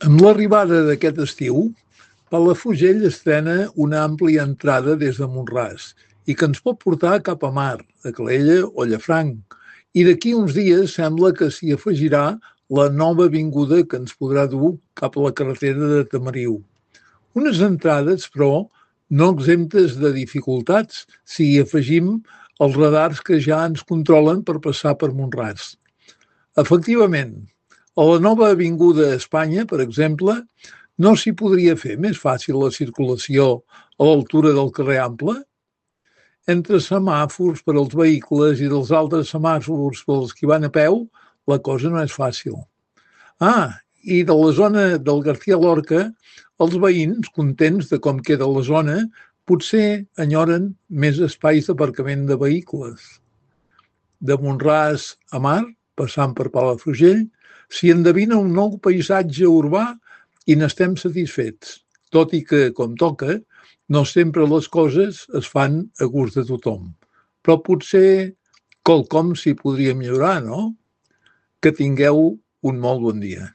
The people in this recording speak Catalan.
Amb l'arribada d'aquest estiu, Palafrugell estrena una àmplia entrada des de Mont-ras i que ens pot portar cap a mar, a Calella o Llafranc. I d'aquí uns dies sembla que s'hi afegirà la nova avinguda que ens podrà dur cap a la carretera de Tamariu. Unes entrades, però, no exemptes de dificultats si hi afegim els radars que ja ens controlen per passar per Mont-ras. Efectivament, a la nova avinguda Espanya, per exemple, no s'hi podria fer més fàcil la circulació a l'altura del carrer Ample? Entre semàfors per als vehicles i dels altres semàfors pels qui van a peu, la cosa no és fàcil. I de la zona del García Lorca, els veïns, contents de com queda la zona, potser enyoren més espais d'aparcament de vehicles. De Mont-ras a mar, passant per Palafrugell, s'hi endevina un nou paisatge urbà i n'estem satisfets, tot i que, com toca, no sempre les coses es fan a gust de tothom. Però potser quelcom s'hi podria millorar, no? Que tingueu un molt bon dia.